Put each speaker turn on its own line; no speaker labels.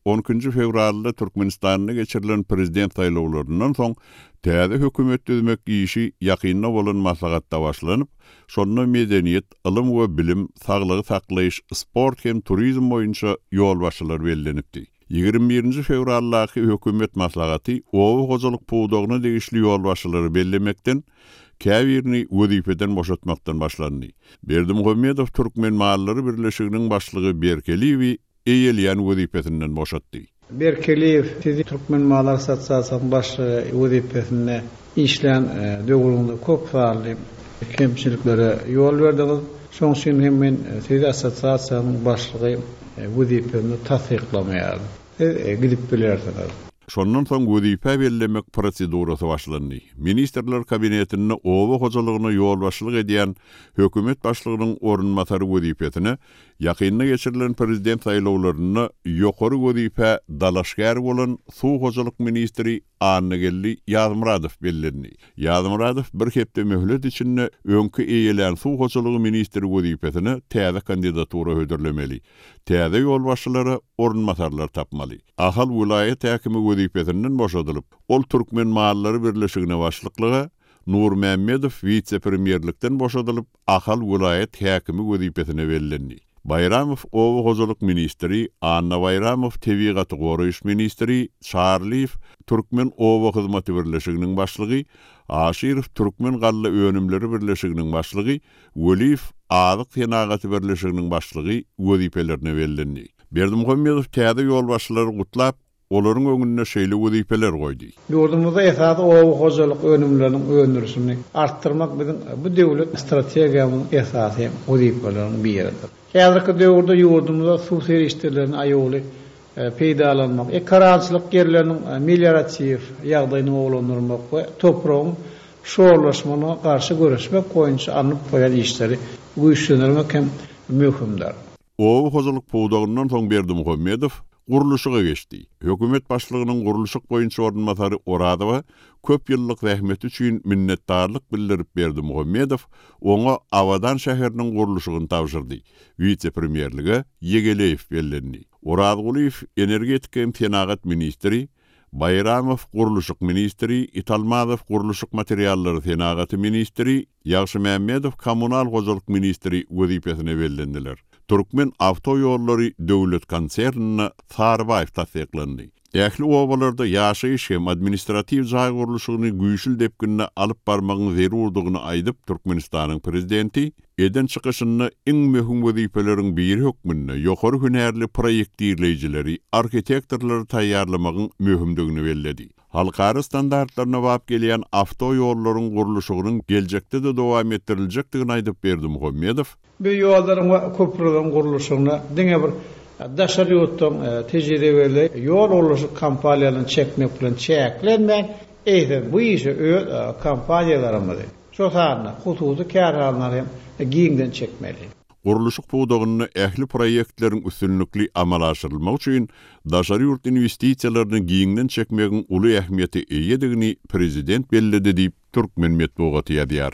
On ikinji fewralda Türkmenistanda geçirilen prezident saýlawlaryndan soň täze hökümet düzmek işi ýakynda bolan maslahatda başlanyp, şonda medeniýet, ylym we bilim, saglygy saklaýyş, sport hem turizm boýunça ýolbaşçylar bellenipdi. 21 nji fewraldaky hökümet maslahaty oba hojalyk pudagyna degişli ýolbaşçylary bellemekden, käbirini wezipeden boşatmakdan başlandy. Berdimuhamedow Türkmenmallary birleşiginiň başlygy Berkeliýewi eýeleýän wezipesinden boşatdy.
Berkeliýew, sizi Türkmenmallar assosiasiýasynyň başlygy wezipesinde işlän döwrüňizde köp sanly kemçiliklere ýol berdiňiz. Şonuň üçin hem men sizi assosiasiýanyň başlygy wezipesinde tassyklamaýaryn. Siz gidip bilersiňiz.
Şondan soň wezipä bellemek prosedurasy başlandy. Ministrler Kabinetinde oba hojalygyna ýolbaşçylyk edýän hökümet başlygynyň orunbasary wezipesine Ýakynda geçirilen prezident saýlawlarynda ýokary wezipä dalaşgär bolan suw hojalyk ministri Annageldi Ýazmyradow bellendi. Ýazmyradow bir hepde möhlet içinde öňki eýelän suw hojalygy ministri wezipesine täze kandidatura hödürlemeli. Täze ýolbaşçylara orunbasarlar tapmaly. Ahal welaýat häkimi wezipesinden boşadylyp, ol Türkmenmallary birleşigine başlyklyga, Nurmämmedow wise-premýerlikden boşadylyp, Ahal welaýat häkimi wezipesine bellendi. Baýramow oba hojalyk ministri, Anna Baýramow tebigaty goraýyş ministri, Çarlyýew Türkmen oba hyzmaty birleşiginiň başlygy, Aşyrow Türkmen galla önümleri birleşiginiň başlygy, Weliýew Azyk senagaty birleşiginiň başlygy wezipelerine bellendi. Berdimuhamedow täze ýolbaşçylary gutlap, Olaryň öňünde şeýle wezipeler goýdy.
Ýurdumyzda esasy oba hojalyk önümleriniň öndürilişini artdyrmak biziň bu döwlet strategiýamyzyň esasy wezipeleriniň biridir. Häzirki döwürde ýurdumyzda suw serişdelerini aýawly peýdalanmak, ekerançylyk ýerleriniň melioratiw ýagdaýyny gowulandyrmak we topragyň şorlaşmagyna garşy göreşmek boýunça alnyp barýan işleri güýçlendirmek hem möhümdir.
Oba hojalyk pudagyndan soň Berdimuhamedow gurluşyga geçdi. Hökümet başlygynyň gurluşyk boýunça orunbasary Orazowa köp ýyllyk zähmeti üçin minnetdarlyk bildirip Berdimuhamedow oňa Abadan şäheriniň gurluşygyny tabşyrdy. Wise-premýerlige Ýegeleýew bellendi. Orazgulyýew energetika hem senagat ministri, Baýramow gurluşyk ministri, Italmazow gurluşyk materiallary senagaty ministri, Ýagşymämmedow kommunal hojalyk ministri wezipesine bellendiler. Türkmen awtoýollary döwlet konsernine Sarybaýew tassyklandy. Ähli obalarda ýaşaýyş hem administratiw jaý gurluşygyny güýçli depginde alyp barmagyň zerurdygyny aýdyp, Türkmenistanyň Prezidenti eden çykyşynda iň möhüm wezipeleriň biri hökmünde ýokary hünärli proýektirleýjileri, arhitektorlary taýýarlamagyň möhümdigini belledi. Halkara standartlaryna bap gelýän awtoýollaryň gurluşygynyň geljekde-de dowam etdiriljekdigini aýdyp Berdimuhamedow,
Bu ýollaryň we köprüleriň gurluşygyna diňe bir daşary ýurtdan tejribeli ýol gurluşyk kompaniýalaryny çekmek bilen çäklenmän, eýsem, bu işe öz kompaniýalarymyzy, şol sanda hususy kärhanalary hem giňden çekmeli.
Gurluşyk pudagynda ähli proýektleriň üstünlikli amala aşyrylmagy üçin daşary ýurt inwestisiýalaryny giňden çekmegiň uly ähmiýete eýedigini prezident belledi diýip, türkmen metbugaty ýazýar.